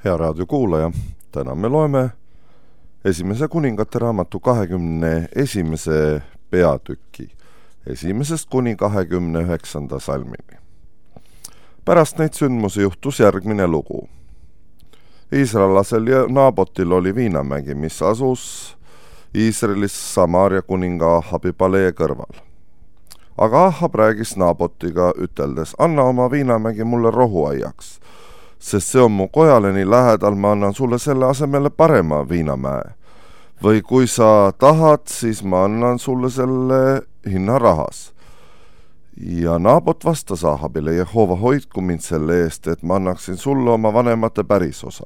Hea raadiokuulaja, täna me loeme esimese kuningate raamatu 21. peatüki 1. kuni 29. salmini. Pärast neid sündmusi juhtus järgmine lugu. Iisraelasel ja Naabotil oli viinamägi, mis asus Iisraelis Samaaria kuninga Ahabi palee kõrval. Aga Ahab räägis Naabotiga üteldes, anna oma viinamägi mulle rohuaiaks, sest see on mu kojale nii lähedal, ma annan sulle selle asemele parema viinamäe. Või kui sa tahad, siis ma annan sulle selle hinna rahas. Ja Naabot vastas Ahabile, Jehova hoidku mind selle eest, et ma annaksin sulle oma vanemate pärisosa.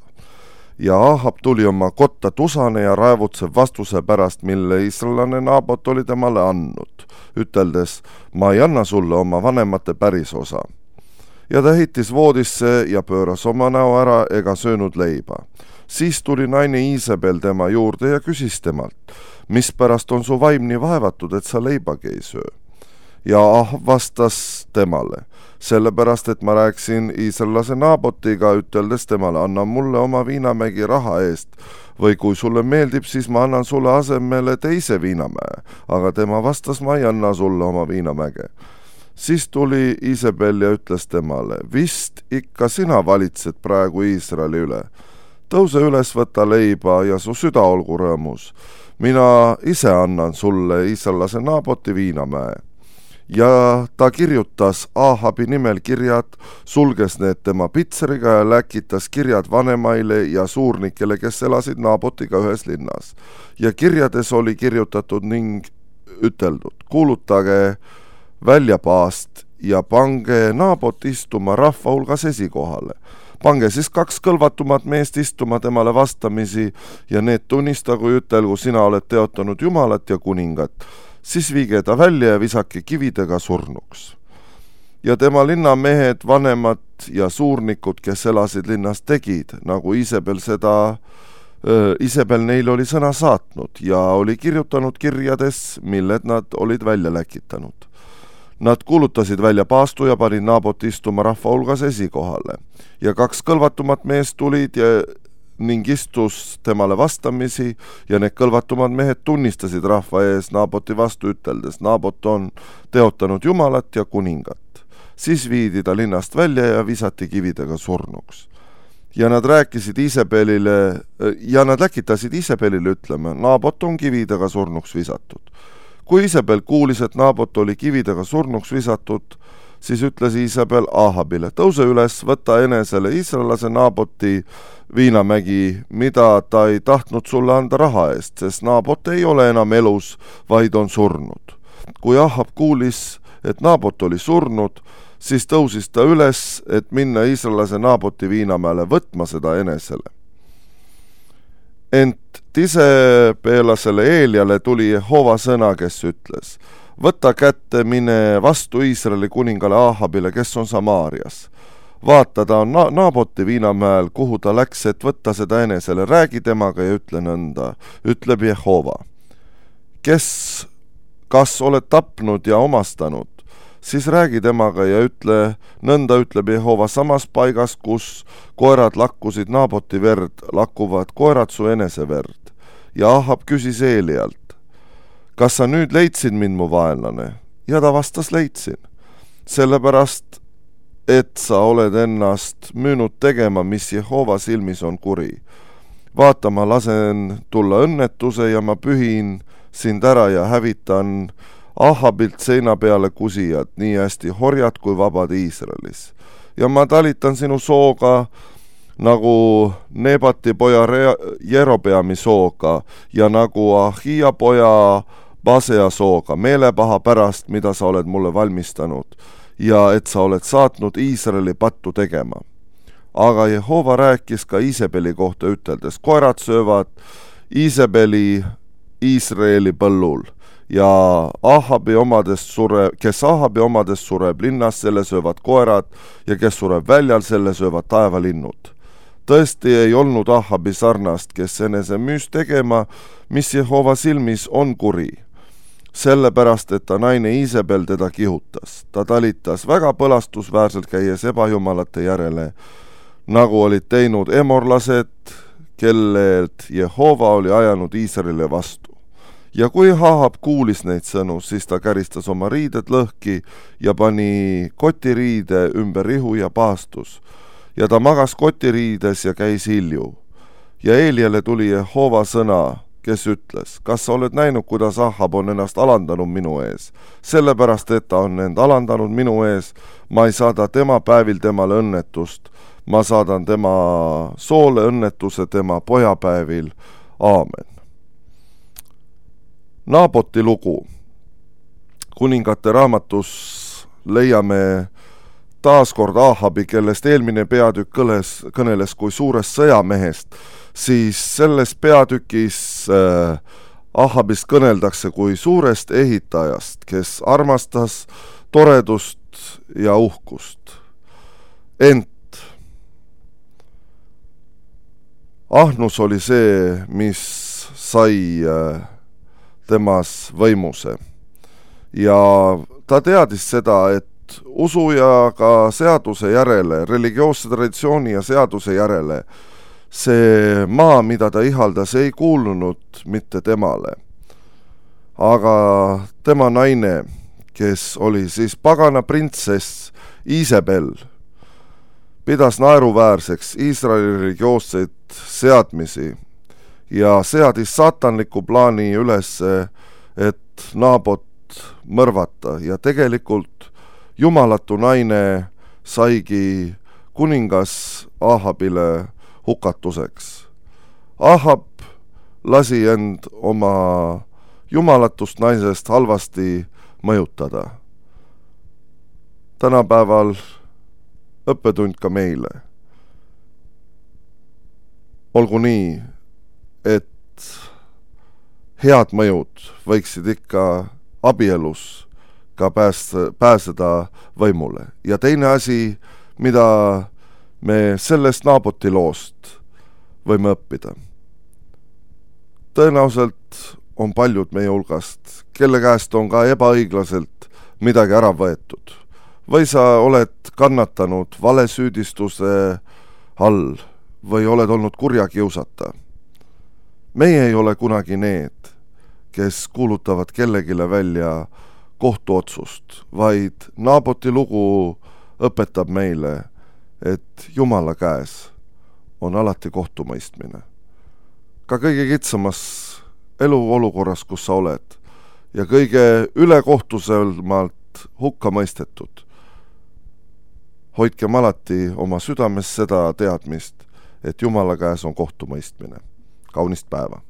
Ja Ahab tuli oma kotta tusane ja raevutsev vastuse pärast, mille iisraelane Naabot oli temale andnud, üteldes, ma ei anna sulle oma vanemate pärisosa. Ja ta heitis voodisse ja pööras oma näo ära ega söönud leiba. Siis tuli naine Iisabel tema juurde ja küsis temalt, mispärast on su vaim nii vaevatud, et sa leibagi ei söö? Ja Ahab vastas temale, sellepärast, et ma rääkisin iisraellase Naabotiga, üteldes temale, anna mulle oma viinamägi raha eest, või kui sulle meeldib, siis ma annan sulle asemele teise viinamäe, aga tema vastas, ma ei anna sulle oma viinamäge. Siis tuli Iisabel ja ütles temale, vist ikka sina valitsed praegu Iisraeli üle. Tõuse üles, võta leiba ja su süda olgu rõõmus. Mina ise annan sulle iisraellase Naaboti viinamäe. Ja ta kirjutas Ahabi nimel kirjad, sulges need tema pitseriga ja läkitas kirjad vanemaile ja suurnikele, kes elasid Naabotiga ühes linnas. Ja kirjades oli kirjutatud ning üteldud, kuulutage väljapaast ja pange Naabot istuma rahva hulgas esikohale. Pange siis 2 kõlvatumat meest istuma temale vastamisi ja need tunnistagu ütelgu, sina oled teotanud Jumalat ja kuningat. Siis viige ta välja ja visake kividega surnuks. Ja tema linnamehed, vanemad ja suurnikud, kes elasid linnas, tegid, nagu Iisabel neil oli sõna saatnud ja oli kirjutanud kirjades, milled nad olid välja läkitanud. Nad kuulutasid välja paastu ja panid Naabot istuma rahva hulgas esikohale. Ja 2 kõlvatumat meest tulid ning istus temale vastamisi ja need kõlvatumad mehed tunnistasid rahva ees Naaboti vastu üteldes, Naabot on teotanud Jumalat ja kuningat. Siis viidi ta linnast välja ja visati kividega surnuks. Ja nad rääkisid Iisabelile ja nad läkitasid Iisabelile ütlema, Naabot on kividega surnuks visatud. Kui Iisabel kuulis, et Naabot oli kividega surnuks visatud, siis ütles Iisabel Ahabile, tõuse üles, võta enesele iisraellase Naaboti viinamägi, mida ta ei tahtnud sulle anda raha eest, sest Naabot ei ole enam elus, vaid on surnud. Kui Ahab kuulis, et Naabot oli surnud, siis tõusis ta üles, et minna iisraellase Naaboti viinamäele võtma seda enesele. Ent tisepeelasele Eeliale tuli Jehova sõna, kes ütles, võta kätte, mine vastu Iisraeli kuningale Ahabile, kes on Samaarias. Vaata, ta on Naaboti viinamäel, kuhu ta läks, et võtta seda enesele, räägi temaga ja ütle nõnda, ütleb Jehova. Kas oled tapnud ja omastanud, siis räägi temaga ja ütle, nõnda ütleb Jehova, samas paigas, kus koerad lakkusid Naaboti verd, lakkuvad koerad su enese verd. Ja Ahab küsis Eelialt, kas sa nüüd leidsid mind, mu vaenlane? Ja ta vastas, leidsin. Sellepärast, et sa oled ennast müünud tegema, mis Jehova silmis on kuri. Vaata, ma lasen tulla õnnetuse ja ma pühin sind ära ja hävitan Ahabilt seina peale kusijad, nii hästi horjad kui vabad Iisraelis. Ja ma talitan sinu sooga nagu Nebati poja Jerobeami sooga ja nagu Ahia poja Basea sooga, meelepaha pärast, mida sa oled mulle valmistanud ja et sa oled saatnud Iisraeli pattu tegema. Aga Jehova rääkis ka Iisabeli kohta üteldes, koerad söövad Iisabeli Iisraeli põllul ja kes Ahabi omadest sureb linnas, selle söövad koerad ja kes sureb väljal, selle söövad taevalinnud. Tõesti ei olnud Ahabi sarnast, kes enese müüs tegema, mis Jehova silmis on kuri. Sellepärast, et ta naine Iisabel teda kihutas. Ta talitas väga põlastusväärselt käies ebajumalate järele, nagu olid teinud emorlased, kellelt Jehova oli ajanud Iisraelile vastu. Ja kui Ahab kuulis neid sõnu, siis ta käristas oma riided lõhki ja pani kotiriide ümber rihu ja paastus. Ja ta magas kotiriides ja käis hilju. Ja Eeliale tuli Jehova sõna, kes ütles, kas sa oled näinud, kuidas Ahab on ennast alandanud minu ees? Sellepärast, et ta on end alandanud minu ees, ma ei saada tema päevil temale õnnetust. Ma saadan tema soole õnnetuse tema pojapäevil. Aamen. Naaboti lugu. Kuningate raamatus leiame taaskord Ahabi, kellest eelmine peatükk kõneles kui suurest sõjamehest, siis selles peatükis Ahabist kõneldakse kui suurest ehitajast, kes armastas toredust ja uhkust. Ent ahnus oli see, mis sai temas võimuse. Ja ta teadis seda, et usu ja ka seaduse järele, religioosse traditsiooni ja seaduse järele, see maa, mida ta ihaldas, ei kuulunud mitte temale. Aga tema naine, kes oli siis pagana printsess Iisabel, pidas naeruväärseks Iisraeli religioosseid seadmisi ja seadis saatanliku plaani üles, et Naabot mõrvata ja tegelikult jumalatu naine saigi kuningas Ahabile hukatuseks. Ahab lasi end oma jumalatust naisest halvasti mõjutada. Tänapäeval õppetund ka meile. Olgu nii, et head mõjud võiksid ikka abielus ka pääseda võimule. Ja teine asi, mida me sellest Naaboti loost võime õppida. Tõenäoliselt on paljud meie hulgast, kelle käest on ka ebaõiglaselt midagi ära võetud. Või sa oled kannatanud valesüüdistuse all või oled olnud kurja kiusata. Meie ei ole kunagi need, kes kuulutavad kellegile välja kohtuotsust, vaid Naaboti lugu õpetab meile, et Jumala käes on alati kohtumõistmine. Ka kõige kitsamas eluolukorras, kus sa oled, ja kõige ülekohtusemalt hukka mõistetud. Hoidkem alati oma südames seda teadmist, et Jumala käes on kohtumõistmine. Kaunist päeva!